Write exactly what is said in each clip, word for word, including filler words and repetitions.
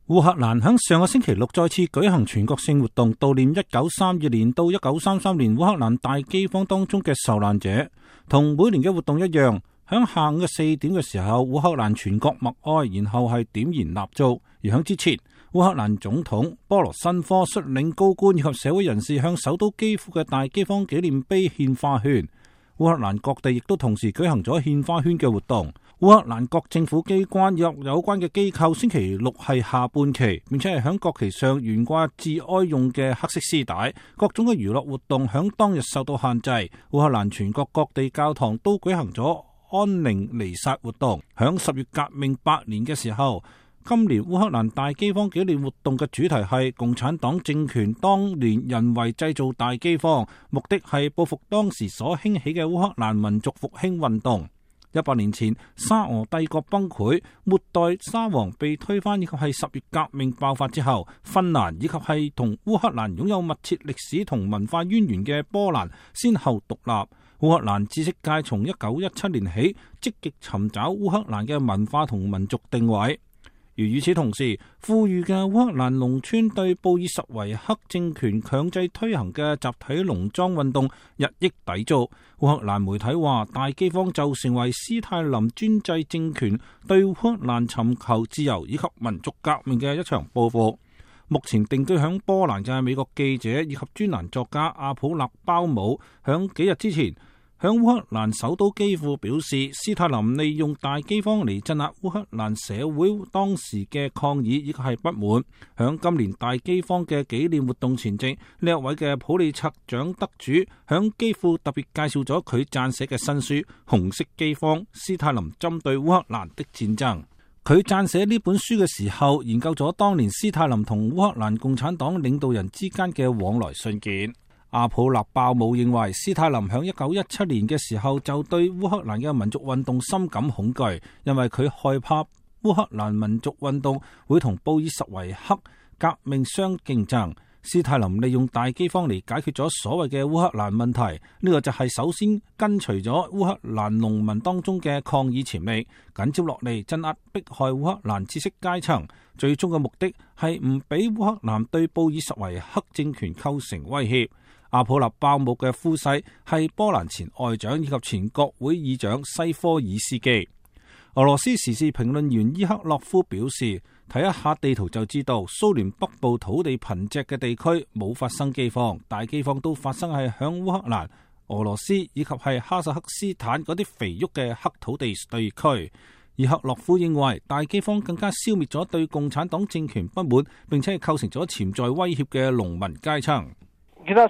烏克蘭喺上個星期六再次舉行全國性活動，悼念一九三二年到一九三三年烏克蘭大饑荒當中嘅受難者。同每年嘅活動一樣，喺下午嘅四點嘅時候，烏克蘭全國默哀，然後係點燃蠟燭。而喺之前，烏克蘭總統波羅申科率領高官以及社會人士向首都基輔嘅大饑荒紀念碑獻花圈。烏克蘭各地亦都同時舉行咗獻花圈嘅活動。烏克蘭各政府機關以及有關嘅機構星期六係下半旗，並且係響國旗上懸掛致哀用嘅黑色絲帶。各種嘅娛樂活動響當日受到限制。烏克蘭全國各地教堂都舉行咗安寧彌撒活動。響十月革命百年嘅時候，今年烏克蘭大饑荒紀念活動嘅主題係共產黨政權當年人為製造大饑荒，目的係報復當時所興起嘅烏克蘭民族復興運動。一百年前，沙俄帝國崩潰，末代沙皇被推翻，以及係十月革命爆發之後，芬蘭以及係同烏克蘭擁有密切歷史同文化淵源嘅波蘭先後獨立。烏克蘭知識界從一九一七年起積極尋找烏克蘭嘅文化同民族定位。而與此同時，富裕嘅烏克蘭農村對布爾什維克政權強制推行嘅集體農莊運動日益抵觸。烏克蘭媒體話，大饑荒就成為斯泰林專制政權對烏克蘭尋求自由以及民族革命嘅一場報復。目前定居響波蘭嘅美國記者以及專欄作家阿普勒鮑姆響幾日之前向烏克蘭首都基輔表示，斯泰林利用大饑荒嚟鎮壓烏克蘭社會當時嘅抗議以及係不滿。響今年大饑荒嘅紀念活動前夕，呢一位嘅普利策獎得主響基輔特別介紹咗佢撰寫嘅新書《紅色饑荒：斯泰林針對烏克蘭的戰爭》。佢撰寫呢本書嘅時候，研究咗當年斯泰林同烏克蘭共產黨領導人之間嘅往來信件。阿普勒鮑姆認為，斯泰林響一九一七年嘅時候就對烏克蘭嘅民族運動深感恐懼，因為佢害怕烏克蘭民族運動會同布爾什維克革命相競爭。斯泰林利用大饑荒嚟解決咗所謂嘅烏克蘭問題，呢、這個就係首先根除咗烏克蘭農民當中嘅抗議潛力，緊接落嚟鎮壓迫害烏克蘭知識階層，最終嘅目的係唔俾烏克蘭對布爾什維克政權構成威脅。阿普勒鮑姆嘅夫婿係波蘭前外長以及前國會議長西科爾斯基。俄羅斯時事評論員伊克洛夫表示，睇一下地圖就知道，蘇聯北部土地貧瘠嘅地區冇發生饑荒，大饑荒都發生係響烏克蘭、俄羅斯以及係哈薩克斯坦嗰啲肥沃嘅黑土地地區。伊克洛夫認為，大饑荒更加消滅咗對共產黨政權不滿，並且係構成咗潛在威脅嘅農民階層。伊克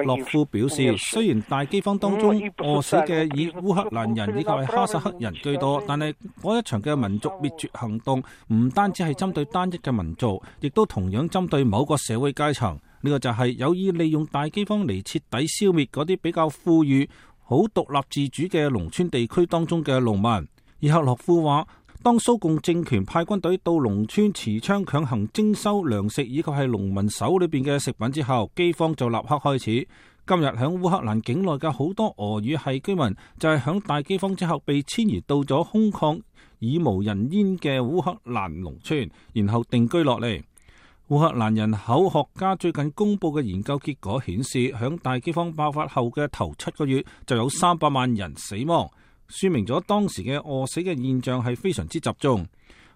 洛夫表示，雖然大饑荒當中餓死嘅以烏克蘭人以及係哈薩克人居多，但係嗰一場嘅民族滅絕行動唔單止係針對單一嘅民族，亦都同樣針對某個社會階層。呢個就係有意利用大饑荒嚟徹底消滅嗰啲比較富裕、好獨立自主嘅農村地區當中嘅農民。伊克洛夫話，當蘇共政權派軍隊到農村持槍強行徵收糧食以及係農民手裏邊嘅食品之後，饑荒就立刻開始。今日響烏克蘭境內嘅好多俄語系居民就係響大饑荒之後被遷移到咗空曠耳無人煙嘅烏克蘭農村，然後定居落嚟。烏克蘭人口學家最近公布嘅研究結果顯示，響大饑荒爆發後嘅頭七個月就有三百萬人死亡。說明咗當時嘅餓死嘅現象係非常之集中。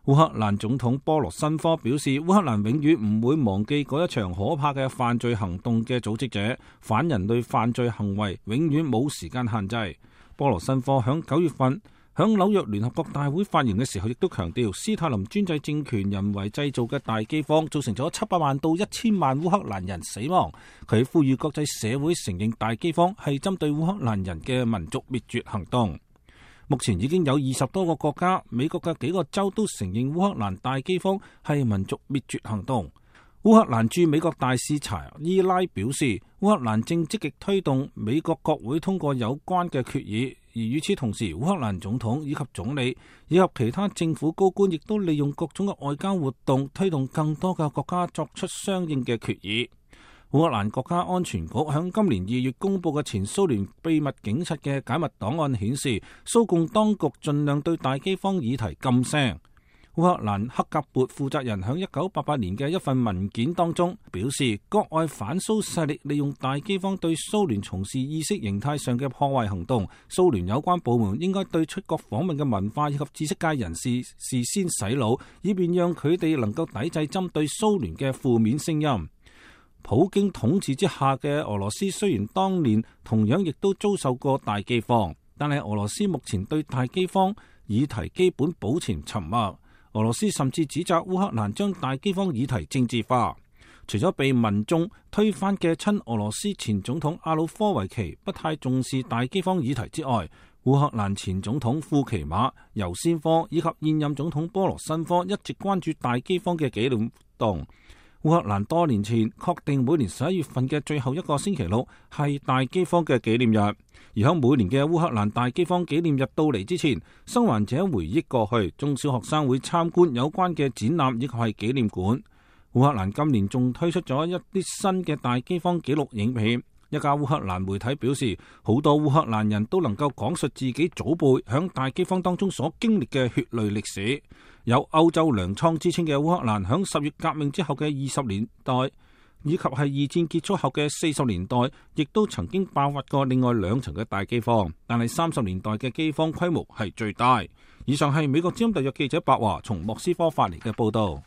烏克蘭總統波羅申科表示，烏克蘭永遠唔會忘記嗰一場可怕嘅犯罪行動嘅組織者，反人類犯罪行為永遠冇時間限制。波羅申科響九月份響紐約聯合國大會發言嘅時候，亦都強調，斯泰林專制政權人為製造嘅大饑荒造成咗七百萬到一千萬烏克蘭人死亡。佢呼籲國際社會承認大饑荒係針對烏克蘭人嘅民族滅絕行動。目前已經有二十多個國家，美國嘅幾個州都承認烏克蘭大饑荒係民族滅絕行動。烏克蘭駐美國大使查伊拉表示，烏克蘭正積極推動美國國會通過有關嘅決議，而與此同時，烏克蘭總統以及總理以及其他政府高官亦都利用各種嘅外交活動，推動更多嘅國家作出相應嘅決議。烏克蘭國家安全局響今年二月公布嘅前蘇聯秘密警察嘅解密檔案顯示，蘇共當局盡量對大饑荒議題噤聲。烏克蘭克格勃負責人響一九八八年嘅一份文件當中表示，國外反蘇勢力利用大饑荒對蘇聯從事意識形態上嘅破壞行動，蘇聯有關部門應該對出國訪問嘅文化以及知識界人士事先洗腦，以便讓佢哋能夠抵制針對蘇聯嘅負面聲音。普京統治之下嘅俄羅斯雖然當年同樣亦都遭受過大饑荒，但係俄羅斯目前對大饑荒議題基本保持沉默。俄羅斯甚至指責烏克蘭將大饑荒議題政治化。除咗被民眾推翻嘅親俄羅斯前總統亞努科維奇不太重視大饑荒議題之外，烏克蘭前總統庫奇馬、尤先科以及現任總統波羅申科一直關注大饑荒嘅紀念活動。烏克蘭多年前確定每年十一月份嘅最後一個星期六係大饑荒嘅紀念日，而喺每年嘅烏克蘭大饑荒紀念日到嚟之前，生還者回憶過去，中小學生會參觀有關嘅展覽以及係紀念館。烏克蘭今年仲推出咗一啲新嘅大饑荒紀錄影片。一家烏克蘭媒體表示，好多烏克蘭人都能夠講述自己祖輩響大饑荒當中所經歷嘅血淚歷史。有歐洲糧倉之稱嘅烏克蘭響十月革命之後嘅二十年代，以及係二戰結束後嘅四十年代，亦都曾經爆發過另外兩層嘅大饑荒，但係三十年代嘅饑荒規模係最大。以上係美國之音特約記者白華從莫斯科發嚟嘅報道。